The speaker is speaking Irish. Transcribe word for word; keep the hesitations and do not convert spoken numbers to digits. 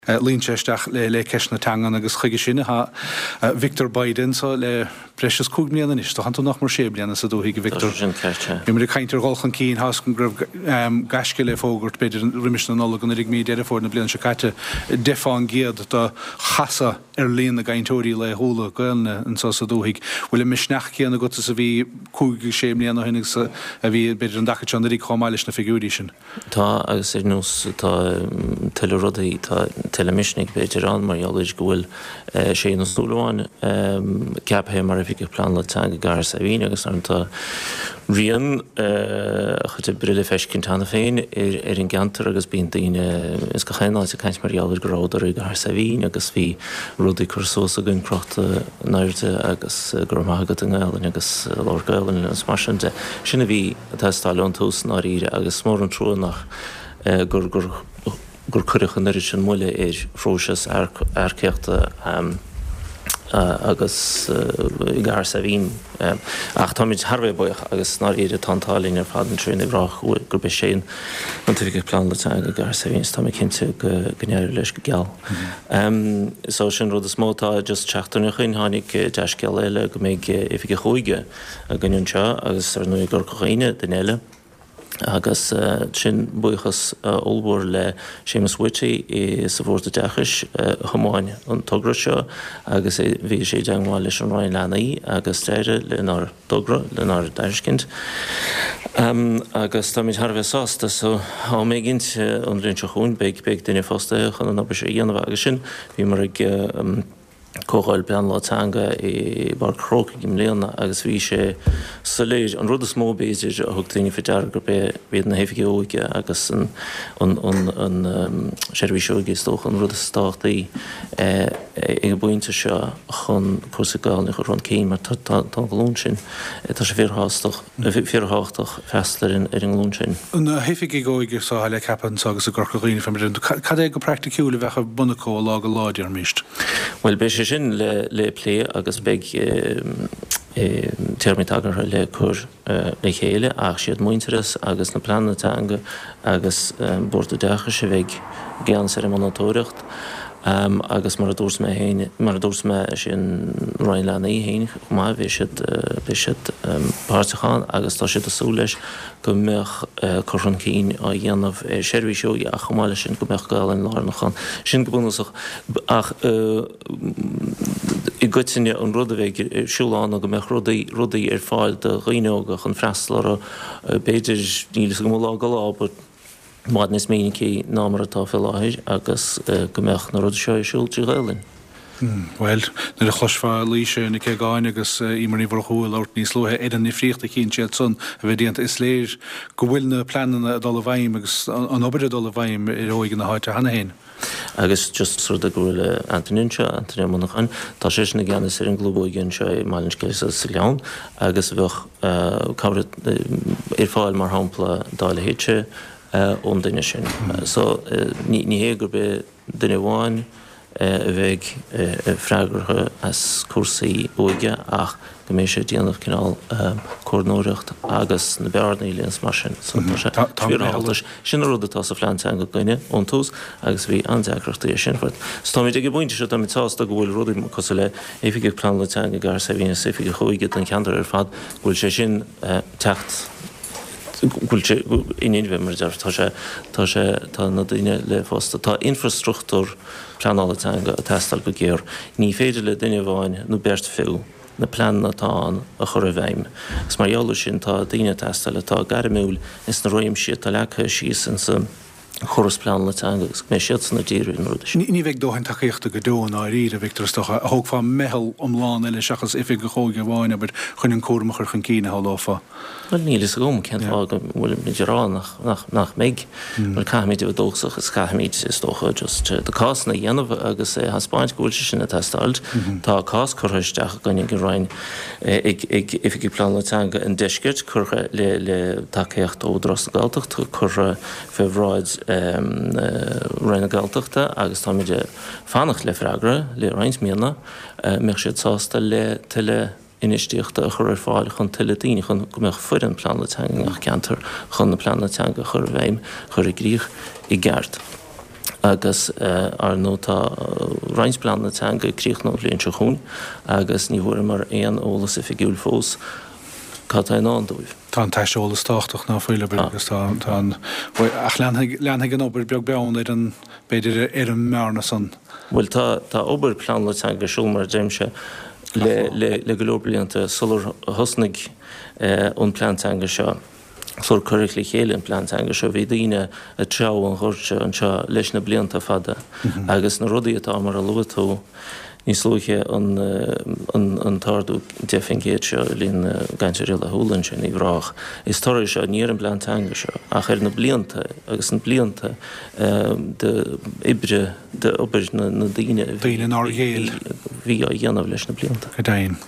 Luíonn sé isteach le le ceist na teangan agus chuige sin atá Victor Bayda anseo le breis is cúig mbliana anois. Tá tú nach mór sé bliana sa dúthaigh, a Victor. Sin ceart, sea. Bhí muid ag caint ar dhul chun cinn, tá a fhios agam go raibh gaisce le fógairt, b'fhéidir roimis na Nollag anuraidh, mí Deireadh Fómhair na bliana seo caite, deich fán gcéad de chasadh ar líon na gcainteoirí laethúla Gaelainne anseo sa dúthaigh. Bhfuil an misneach céanna agat is a bhí cúig agus sé mbliana ó shin agus a bhí b'fhéidir an dtaca seo anuraidh chomh maith leis na figiúirí sin? Tá, agus ar nós tá tuilleadh rudaí, tá tuilleadh misnigh b'fhéidir ann mar gheall ar go bhfuil Shane Ó Súilleabháin ceaptha mar Oifigeach Pleanála Teanga i gCathair Saidhbhín agus ar tá rian a chuid oibre le feiscint cheana féin ar ar an gceantar agus bíonn daoine ins gach aon áit ag caint mar gheall ar go rabhadar i gCathair Saidhbhín agus bhí rudaí curtha suas againn crochta in airde agus go raibh maith agat i nGaelainn agus labhair Gaelainn agus mar sin de. Sin a bhí ag teastáil ón tús i ndáiríre agus is mór an trua nach gur gur gur cuireadh an oiread sin moille ar phróiseas earcaíochta agus i gCathair Saidhbhín. Ach táimid thar a bheith buíoch agus i ndáiríre tá an t-ádh linn ar fad anseo ag rá gurb é Shane an tOifigeach Pleanála Teanga i gCathair Saidhbhín is tá mé cinnte go n-éireoidh leis go geal. So sin rud is mó atá just seachtain ó shin tháinig dea-scéala eile go mbeidh Oifigeach Óige againn anseo agus ar ndóigh i gCorca Dhuibhne duine eile agus sin buíochas ollmhór le Séamus Whitty sa Bhord Oideachais a thiomáin an togra seo agus bhí sé i dteagmháil leis an Roinn Leanaí agus d'Aire lenár dtogra, lenár dtairiscint agus táimid thar a bheith sásta. So am éigint an bhliain seo chugainn beidh beidh duine fostaithe chun an obair seo a dhéanamh agus sin bhíomar ag Comhdháil Pleanála Teanga i bPáirc an Chrócaigh i mbliana agus bhí sé soiléir, an rud is mó b'fhéidir a thug daoine faoi deara gurb é iad na hoifigigh óige agus an an seirbhís óige is dócha an rud is tábhachtaí ag an bpointe seo chun cúrsaí Gaelainne a chur chun cinn mar tá an ghlúin sin, tá sé fíorthábhachtach. fíorthábhachtach freastal ar an ar an nglúin sin. Na hoifigigh óige seo le ceapadh anseo agus i gCorca Dhuibhne fé mar a deir, cad é go praiticiúil a bheadh ar bun acu ó lá go lá, déarfaimíst? Bhuel, beidh sé sin le le plé agus beidh téarmaí tagartha le cur le chéile ach siad Muintearas agus na pleananna teanga agus Bord Oideachais a bheidh i gceannas ar an monatóireacht. Agus mar a dúirt mé féin, mar a dúirt mé, is é an Roinn Leanaí féin chomh maith, beidh siad, beidh siad páirteach ann agus tá siad ag súil leis go mbeadh cur chun cinn á dhéanamh ar sheirbhís óige ach chomh maith leis sin go mbeadh Gaelainn lárnach ann. Sin go bunúsach. Ach i gcoitinne an rud a bheidh ar siúl ann ná go mbeadh rudaí, rudaí ar fáil do dhaoine óga chun freastal orthu, b'fhéidir, níl a fhios agam ó lá go lá but, i bhfad níos minicí ná mar atá fé láthair agus go mbeadh na rudaí seo ar siúl trí Ghaelainn. Bhuel, nuair a chloisfeá Laoise Nic Aogáin agus Eimear Ní Mhurchú ag labhairt níos luaithe ar an ndifríocht a chíonn siad san a bheith déanta, is léir go bhfuil na pleananna ag dul i bhfeidhm agus an obair ag dul i bhfeidhm ar óige na háite cheana féin. Agus just rud é go bhfuil Anthony anseo, Anthony Ó Monacháin, tá seisean i gceannas ar an gclub óige anseo i mBaile an Sceilg sa Ghleann agus bheadh cabhair ar fáil mar shampla dá leithéidse ón duine sin. So ní hé gurb é duine amháin a bheidh freagrach as cúrsaí óige ach go mbeidh sé ag déanamh cineál comhordnóireacht agus na bearnaí a líonadh is mar sin. So tá sé fíorthábhachtach. Sin an rud atá sa phlean teanga againne ón tús agus bhí an-deacrachtaí é sin. So táimid ag an bpointe seo, táimid sásta go bhfuil rudaí cosúil le Oifigeach Pleanála Teanga i gCathair Saidhbhín agus Oifigeach Óige don cheantar ar fad, go bhfuil sé sin teacht, go bhfuil sé in inmhe mar a déarfá, tá sé, tá sé, tá na daoine le fostú, tá infreastruchtúr pleanála teanga ag teastáil go géar. Ní féidir le duine amháin nó beirt fiú na pleananna atá ann a chur i bhfeidhm. Agus mar gheall air sin tá daoine ag teastáil atá gairmiúil ins na réimsí atá leagtha síos insa chóras pleanála teanga agus go mbeidh siadsan ag díriú ar na rudaí sin. Ní bheidh dóthain tacaíochta go deo i ndáiríre, a Victor, is dócha. Thógfá meitheal iomlán eile seachas oifigeach óige amháin, abair, chun an cúram a chur chun cinn, a shamhlófá. Bhuel, níl fhios agam cén fáth go bhfuilimid ag rá nach, nach, nach mbeidh. Bhuel, caithfimid a bheith dóchasach is caithfimid, is dócha, just na cásanna a dhéanamh agus a thaispeáint go bhfuil sé sin ag teastáil. Tá cás curtha isteach againn ag an Roinn, ag, ag Oifigigh Pleanála Teanga an Deiscirt, curtha le, le tacaíocht ó Údarás na Gaeltachta, curtha fé bhráid Roinn na Gaeltachta agus táimid ag fanacht le freagra le roinnt míonna, mbeadh siad sásta le tuilleadh infheistíochta a chur ar fáil chun tuilleadh daoine, chun go mbeadh foireann pleanála teanga i ngach ceantar chun na pleananna teanga a chur i bhfeidhm, a chur i gcrích i gceart. Agus ar ndóigh tá roinnt pleananna teanga ag críochnú an bhliain seo chugainn agus ní bhfuaireamar aon eolas oifigiúil fós cad tá i ndán dóibh. Tá an t-aiseolas tábhachtach ná fuil agus tá an ach leanfaidh an obair beag beann ar an b'fhéidir ar an mbearna san. Bhuel tá tá obair pleanála teanga ar siúl mar a deirimse le le le go leor blianta sular thosnaigh an plean teanga seo. Sular cuireadh le chéile an plean teanga seo bhí daoine ag treabhadh an ghoirt seo anseo leis na blianta fada agus na rudaí atá mar a luaigh tú níos luaithe an an t-ardú deich faoin gcéad seo i líon na gcainteoirí laethúla anseo in Uíbh Ráthach. Is toradh é seo ní ar an bplean teanga seo ach ar na blianta agus na blianta de oibre de obair na daoine a bhí á dhéanamh leis na blianta. Go deimhin.